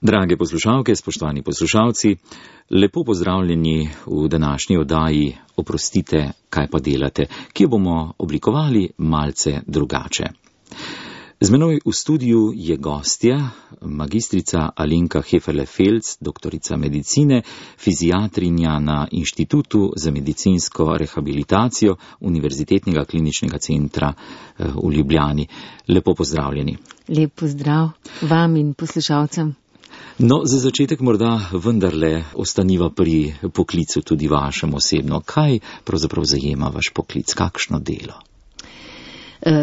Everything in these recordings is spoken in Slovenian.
Drage poslušalke, spoštovani poslušalci, lepo pozdravljeni v današnji oddaji Oprostite, kaj pa delate, ki jo bomo oblikovali malce drugače. Z menoj v studiu je gostja, magistrica Alenka Heferle-Felc, doktorica medicine, fiziatrinja na Inštitutu za medicinsko rehabilitacijo Univerzitetnega kliničnega centra v Ljubljani. Lepo pozdravljeni. Lep pozdrav vam in poslušalcem. No, za začetek morda vendarle ostaniva pri poklicu tudi vašem osebno. Kaj pravzaprav zajema vaš poklic? Kakšno delo?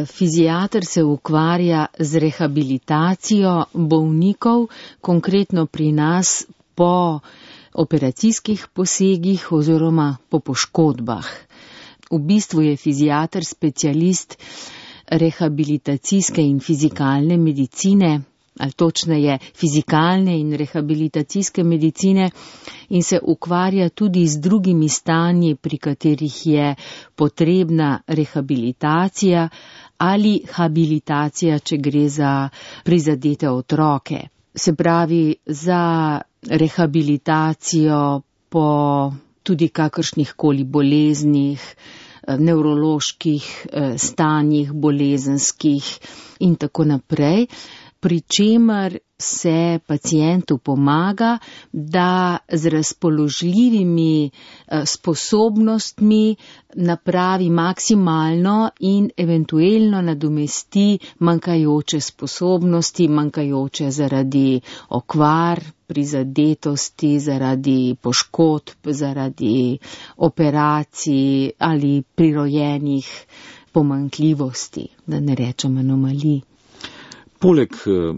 Fiziater se ukvarja z rehabilitacijo bolnikov, konkretno pri nas po operacijskih posegih oziroma po poškodbah. V bistvu je fiziater specialist rehabilitacijske in fizikalne medicine, ali točneje fizikalne in rehabilitacijske medicine, in se ukvarja tudi z drugimi stanji, pri katerih je potrebna rehabilitacija ali habilitacija, če gre za prizadete otroke. Se pravi, za rehabilitacijo po tudi kakršnih koli boleznih, nevroloških stanjih, bolezenskih in tako naprej, pri čemer se pacientu pomaga, da z razpoložljivimi sposobnostmi napravi maksimalno in eventuelno nadomesti manjkajoče sposobnosti, manjkajoče zaradi okvar, prizadetosti, zaradi poškodb, zaradi operacij ali prirojenih pomanjkljivosti, da ne rečem anomalij. Poleg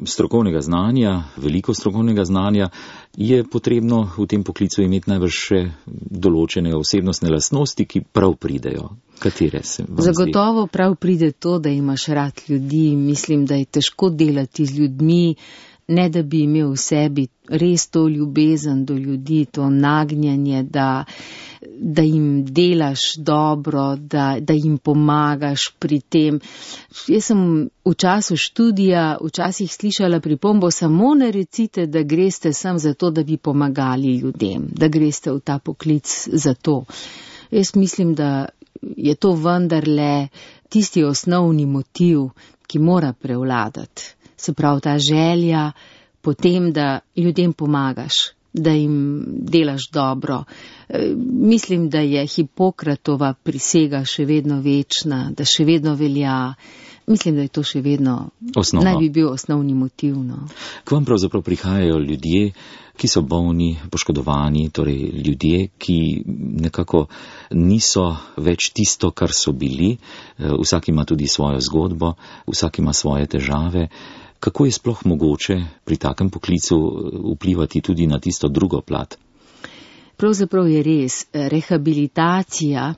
strokovnega znanja, veliko strokovnega znanja, je potrebno v tem poklicu imeti najbrž še določene osebnostne lastnosti, ki prav pridejo. Katere se vam zdi? Zagotovo prav pride to, da imaš rad ljudi. Mislim, da je težko delati z ljudmi, ne da bi imel v sebi res to ljubezen do ljudi, to nagnjanje, da jim delaš dobro, da jim pomagaš pri tem. Jaz sem v času študija včasih slišala pripombo: samo ne recite, da greste sem zato, da bi pomagali ljudem, da greste v ta poklic zato. Jaz mislim, da je to vendarle tisti osnovni motiv, ki mora prevladati. Se pravi, ta želja potem, da ljudem pomagaš, da jim delaš dobro. Mislim, da je Hipokratova prisega še vedno večna, da še vedno velja. Mislim, da je to še vedno naj bi bil osnovni motiv. No. K vam pravzaprav prihajajo ljudje, ki so bolni, poškodovani, torej ljudje, ki nekako niso več tisto, kar so bili. Vsak ima tudi svojo zgodbo, vsak ima svoje težave. Kako je sploh mogoče pri takem poklicu vplivati tudi na tisto drugo plat? Pravzaprav je res. Rehabilitacija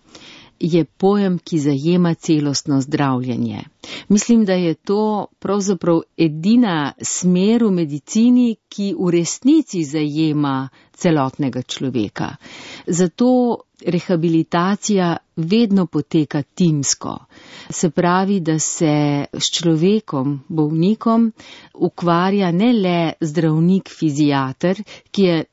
je pojem, ki zajema celostno zdravljenje. Mislim, da je to pravzaprav edina smer v medicini, ki v resnici zajema celotnega človeka. Zato rehabilitacija vedno poteka timsko. Se pravi, da se s človekom, bolnikom, ukvarja ne le zdravnik fiziater, ki je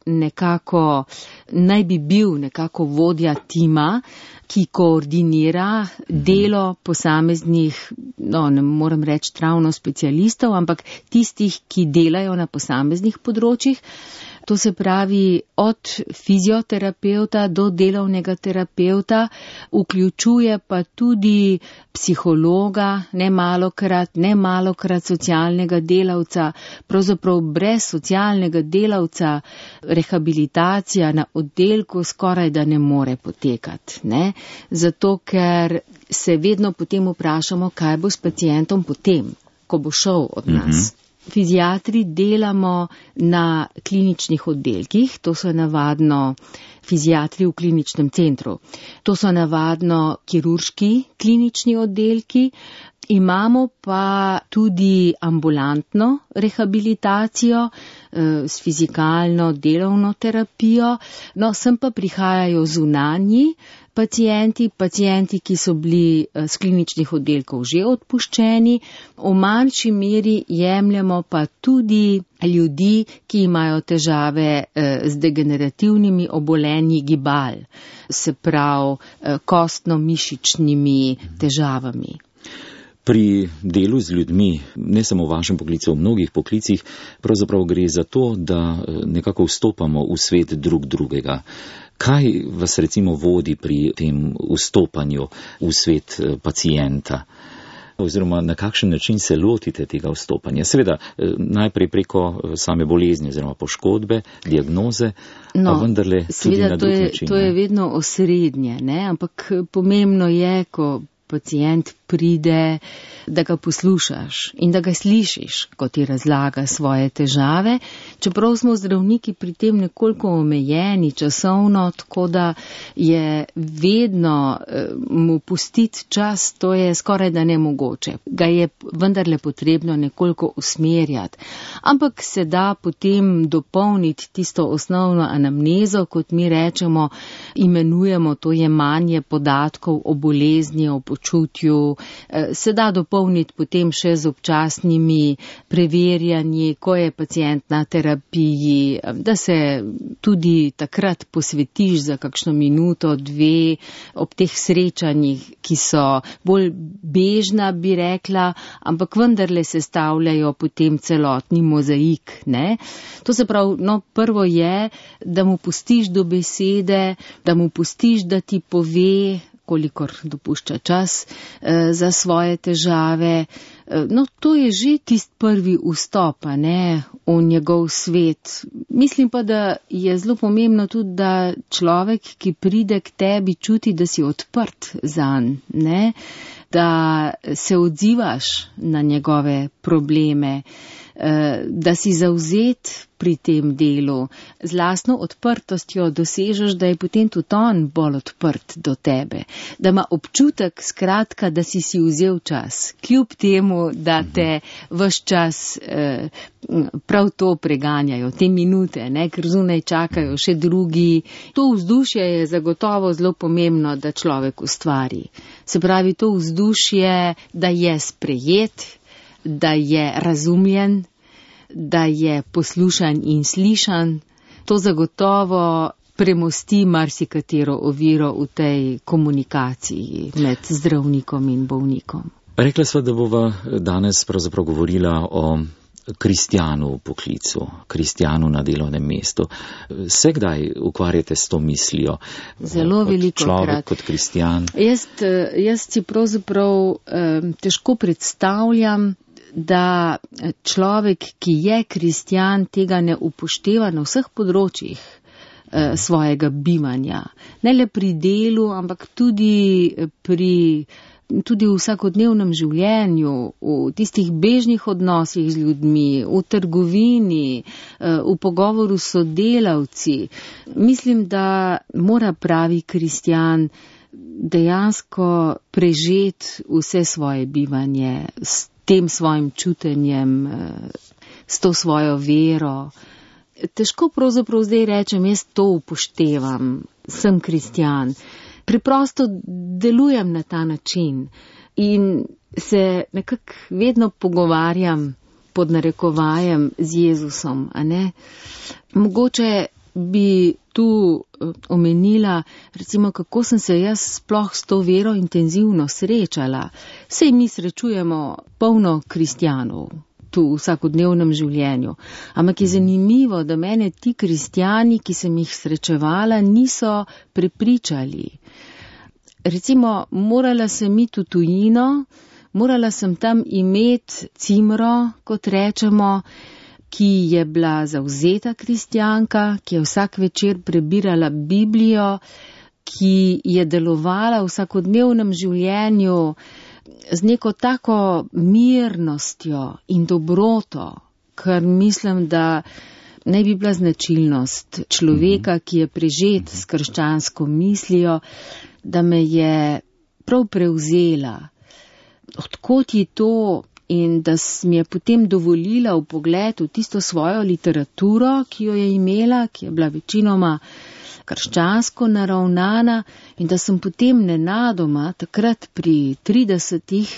naj bi bil nekako vodja tima, ki koordinira delo posameznih, ne moram reči ravno specialistov, ampak tistih, ki delajo na posameznih področjih. To se pravi, od fizioterapevta do delovnega terapevta, vključuje pa tudi psihologa, ne malokrat socialnega delavca. Pravzaprav brez socialnega delavca rehabilitacija na oddelku skoraj da ne more potekati. Ne? Zato, ker se vedno potem vprašamo, kaj bo s pacientom potem, ko bo šel od nas. Fiziatri delamo na kliničnih oddelkih, to so navadno fiziatri v kliničnem centru. To so navadno kirurški klinični oddelki, imamo pa tudi ambulantno rehabilitacijo, s fizikalno delovno terapijo, no, sem pa prihajajo zunanji pacijenti, ki so bili z kliničnih oddelkov že odpuščeni, v manjši meri jemljemo pa tudi ljudi, ki imajo težave z degenerativnimi obolenji gibal, se pravi kostno-mišičnimi težavami. Pri delu z ljudmi, ne samo v vašem poklicu, v mnogih poklicih, pravzaprav gre za to, da nekako vstopamo v svet drug drugega. Kaj vas recimo vodi pri tem vstopanju v svet pacienta? Oziroma na kakšen način se lotite tega vstopanja? Seveda, najprej preko same bolezni oziroma poškodbe, diagnoze, pa vendarle tudi na drug način. To je vedno osrednje, ne? Ampak pomembno je, ko pacient pride, da ga poslušaš in da ga slišiš, ko ti razlaga svoje težave, čeprav smo zdravniki pri tem nekoliko omejeni časovno, tako da je vedno mu pustiti čas, to je skoraj da nemogoče. Ga je vendarle potrebno nekoliko usmerjati. Ampak se da potem dopolniti tisto osnovno anamnezo, kot mi rečemo, imenujemo to jemanje podatkov o bolezni, o počutju, se da dopolniti potem še z občasnimi preverjanji, ko je pacient na terapiji, da se tudi takrat posvetiš za kakšno minuto, dve ob teh srečanjih, ki so bolj bežna, bi rekla, ampak vendarle sestavljajo potem celotni mozaik, ne? To se pravi, no, prvo je, da mu pustiš do besede, da mu pustiš, da ti pove, kolikor dopušča čas, za svoje težave. No, to je že tist prvi vstop, ne, v njegov svet. Mislim pa, da je zelo pomembno tudi, da človek, ki pride k tebi, čuti, da si odprt zanj, ne, da se odzivaš na njegove probleme, da si zavzet pri tem delu. Z lastno odprtostjo dosežeš, da je potem tudi on bolj odprt do tebe. Da ima občutek, skratka, da si vzel čas. Kljub temu, da te ves čas prav to preganjajo, te minute, ne, ker zunaj čakajo še drugi. To vzdušje je zagotovo zelo pomembno, da človek ustvari. Se pravi, to vzdušje, da je sprejet, da je razumljen, da je poslušan in slišan, to zagotovo premosti marsikatero oviro v tej komunikaciji med zdravnikom in bolnikom. Rekla sva, da bova danes pravzaprav govorila o kristjanu v poklicu, kristjanu na delovnem mestu. Se kdaj ukvarjate s to mislijo? Zelo veliko krat. Človek kot kristjan. Jaz si pravzaprav težko predstavljam, da človek, ki je kristjan, tega ne upošteva na vseh področjih svojega bivanja. Ne le pri delu, ampak tudi v vsakodnevnem življenju, v tistih bežnih odnosih z ljudmi, v trgovini, v pogovoru s sodelavci. Mislim, da mora pravi kristjan dejansko prežeti vse svoje bivanje s tem svojim čutenjem, s to svojo vero. Težko pravzaprav zdaj rečem, jaz to upoštevam, sem kristjan. Preprosto delujem na ta način in se nekako vedno pogovarjam pod narekovajem z Jezusom, a ne? Mogoče bi tu omenila, recimo, kako sem se jaz sploh s to vero intenzivno srečala. Sej mi srečujemo polno kristjanov tu v vsakodnevnem življenju. Ampak je zanimivo, da mene ti kristjani, ki sem jih srečevala, niso prepričali. Recimo, morala sem iti v tujino, morala sem tam imeti cimro, kot rečemo, ki je bila zavzeta kristjanka, ki je vsak večer prebirala Biblijo, ki je delovala v vsakodnevnem življenju z neko tako mirnostjo in dobroto, kar mislim, da naj bi bila značilnost človeka, ki je prežet s krščansko mislijo, da me je prav prevzela. Odkot je to, in da mi je potem dovolila vpogled v tisto svojo literaturo, ki jo je imela, ki je bila večinoma krščansko naravnana, in da sem potem nenadoma, takrat pri 30-ih,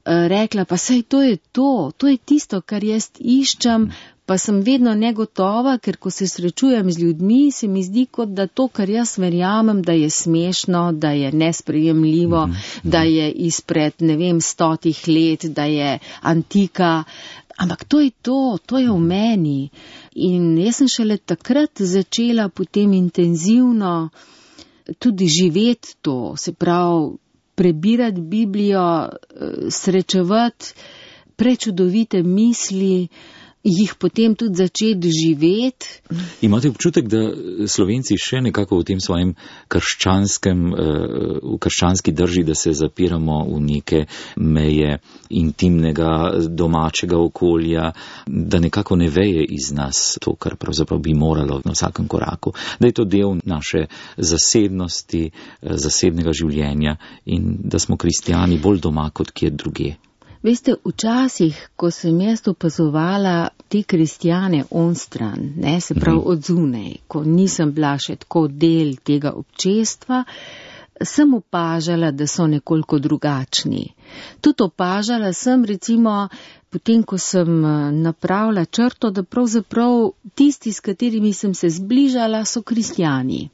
rekla, pa saj to je tisto, kar jaz iščem, pa sem vedno negotova, ker ko se srečujem z ljudmi, se mi zdi, kot da to, kar jaz verjamem, da je smešno, da je nesprejemljivo, da je izpred, 100 let, da je antika, ampak to je v meni. In jaz sem šele takrat začela potem intenzivno tudi živeti to, se pravi, prebirati Biblijo, srečevati prečudovite misli, jih potem tudi začeti živeti. Imate občutek, da Slovenci še nekako v tem svojem v krščanski drži, da se zapiramo v neke meje intimnega, domačega okolja, da nekako ne veje iz nas to, kar pravzaprav bi moralo na vsakem koraku, da je to del naše zasebnosti, zasebnega življenja in da smo kristjani bolj doma kot kje drugje. Veste, včasih, ko sem jaz opazovala te kristjane onstran, se pravi od zunaj, ko nisem bila še tako del tega občestva, sem opažala, da so nekoliko drugačni. Tudi opažala sem, recimo, potem, ko sem napravila črto, da pravzaprav tisti, s katerimi sem se zbližala, so kristjani.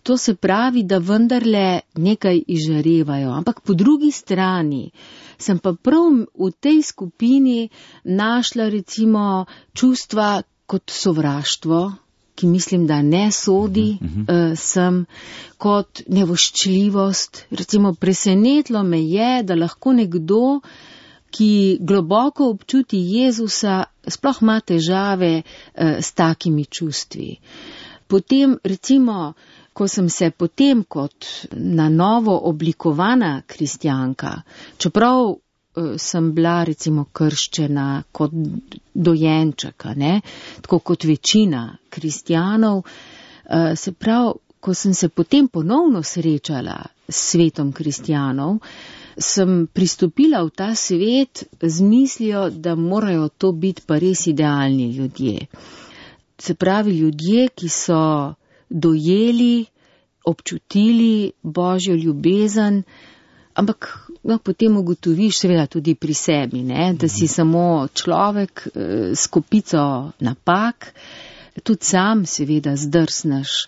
To se pravi, da vendarle nekaj izžarevajo, ampak po drugi strani sem pa prav v tej skupini našla recimo čustva kot sovraštvo, ki mislim, da ne sodi sem, kot nevoščljivost. Recimo presenetilo me je, da lahko nekdo, ki globoko občuti Jezusa, sploh ima težave s takimi čustvi. Potem recimo, ko sem se potem kot na novo oblikovana kristjanka, čeprav sem bila recimo krščena kot dojenček, tako kot večina kristjanov, se pravi, ko sem se potem ponovno srečala s svetom kristjanov, sem pristopila v ta svet z mislijo, da morajo to biti pa res idealni ljudje. Se pravi, ljudje, ki so dojeli, občutili Božjo ljubezen, ampak potem ugotoviš seveda tudi pri sebi, da si samo človek s kopico napak, tudi sam seveda zdrsneš.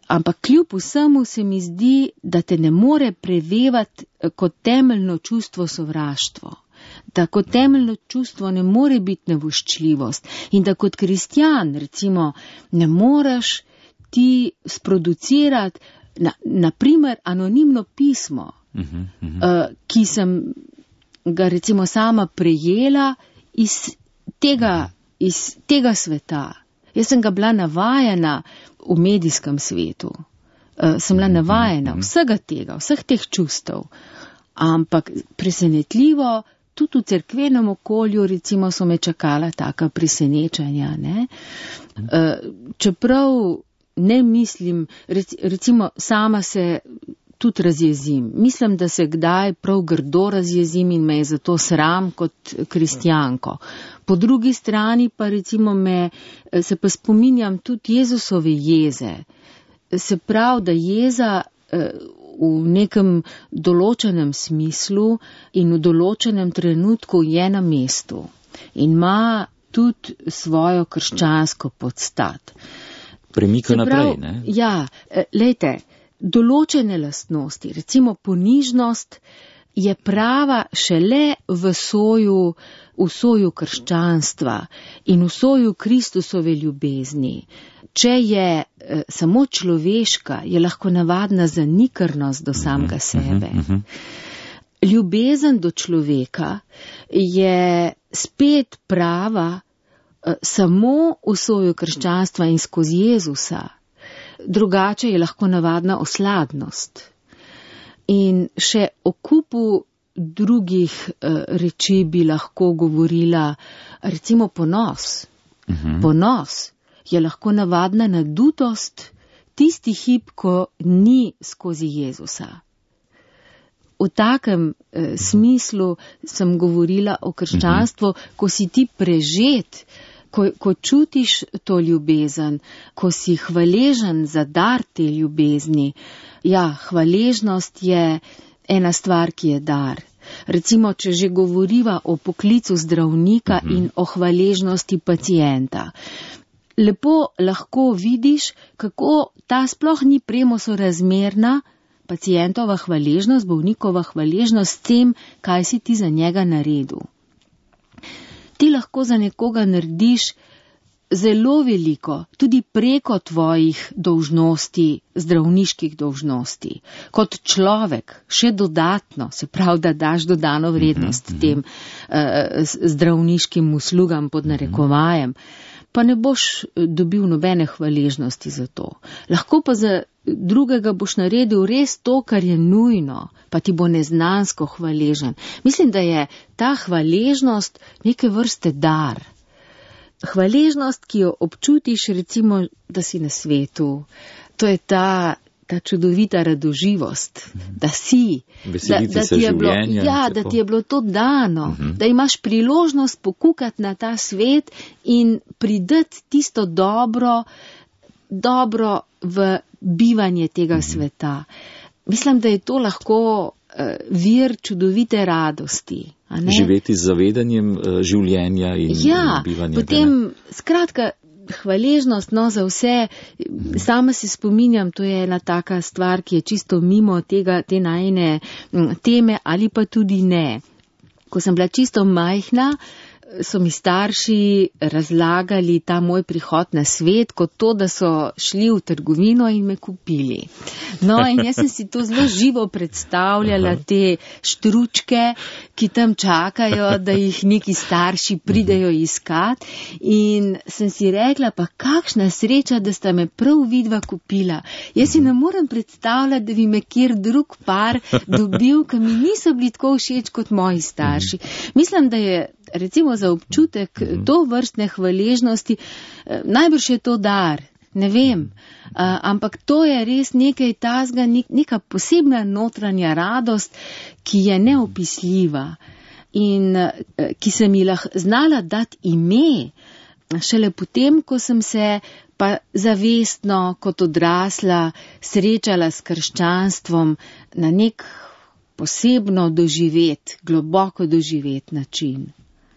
Ampak kljub vsemu se mi zdi, da te ne more prevevati kot temeljno čustvo sovraštvo. Da kot temeljno čustvo ne more biti nevoščljivost in da kot kristjan, recimo, ne moreš ti sproducirati, naprimer, anonimno pismo, ki sem ga recimo sama prejela iz tega sveta. Jaz sem ga bila navajena v medijskem svetu. Sem bila navajena vsega tega, vseh teh čustev. Ampak presenetljivo, tudi v cerkvenem okolju, recimo, so me čakala taka presenečenja, čeprav ne mislim, recimo sama se tudi razjezim. Mislim, da se kdaj prav grdo razjezim in me je zato sram kot kristjanko. Po drugi strani pa recimo se pa spominjam tudi Jezusove jeze. Se pravi, da jeza v nekem določenem smislu in v določenem trenutku je na mestu in ima tudi svojo krščansko podstat. Premika naprej, ne? Ja, lejte, določene lastnosti, recimo ponižnost, je prava šele v soju krščanstva in v soju Kristusove ljubezni. Če je samo človeška, je lahko navadna zanikrnost do samega sebe. Ljubezen do človeka je spet prava samo v soju krščanstva in skozi Jezusa. Drugače je lahko navadna osladnost. In še o kupu drugih reči bi lahko govorila, recimo ponos. Ponos je lahko navadna nadutost tisti hip, ko ni skozi Jezusa. v takem smislu sem govorila o krščanstvu, ko si ti prežet, ko čutiš to ljubezen, ko si hvaležen za dar te ljubezni. Ja, hvaležnost je ena stvar, ki je dar. Recimo, če že govoriva o poklicu zdravnika in o hvaležnosti pacienta. Lepo lahko vidiš, kako ta sploh ni premosorazmerna pacientova hvaležnost, bolnikova hvaležnost s tem, kaj si ti za njega naredil. Ti lahko za nekoga narediš zelo veliko, tudi preko tvojih dolžnosti, zdravniških dolžnosti. Kot človek, še dodatno, se pravi, da daš dodano vrednost tem zdravniškim uslugam pod narekovajem, pa ne boš dobil nobene hvaležnosti za to. Lahko pa za drugega boš naredil res to, kar je nujno, pa ti bo neznansko hvaležen. Mislim, da je ta hvaležnost neke vrste dar. Hvaležnost, ki jo občutiš, recimo, da si na svetu, to je ta čudovita radoživost, da si, da ti je bilo, da ti je bilo to dano, da imaš priložnost pokukati na ta svet in pridati tisto dobro v bivanje tega sveta. Mislim, da je to lahko vir čudovite radosti. Živeti z zavedanjem življenja in bivanja. Potem, skratka, hvaležnost za vse. Sama se spominjam, to je ena taka stvar, ki je čisto mimo te najine teme ali pa tudi ne. Ko sem bila čisto majhna, so mi starši razlagali ta moj prihod na svet kot to, da so šli v trgovino in me kupili. No, in jaz sem si to zelo živo predstavljala, te štručke, ki tam čakajo, da jih neki starši pridejo iskat. In sem si rekla, pa kakšna sreča, da sta me prav vidva kupila. Jaz si ne morem predstavljati, da bi me kjer drug par dobil, ki mi niso bili tako všeč kot moji starši. Mislim, da je recimo za občutek to vrstne hvaležnosti, najbrž je to dar, ne vem, ampak to je res nekaj tazga, neka posebna notranja radost, ki je neopisljiva in ki sem ji znala dati ime, šele potem, ko sem se pa zavestno kot odrasla srečala s krščanstvom na nek posebno doživet, globoko doživet način.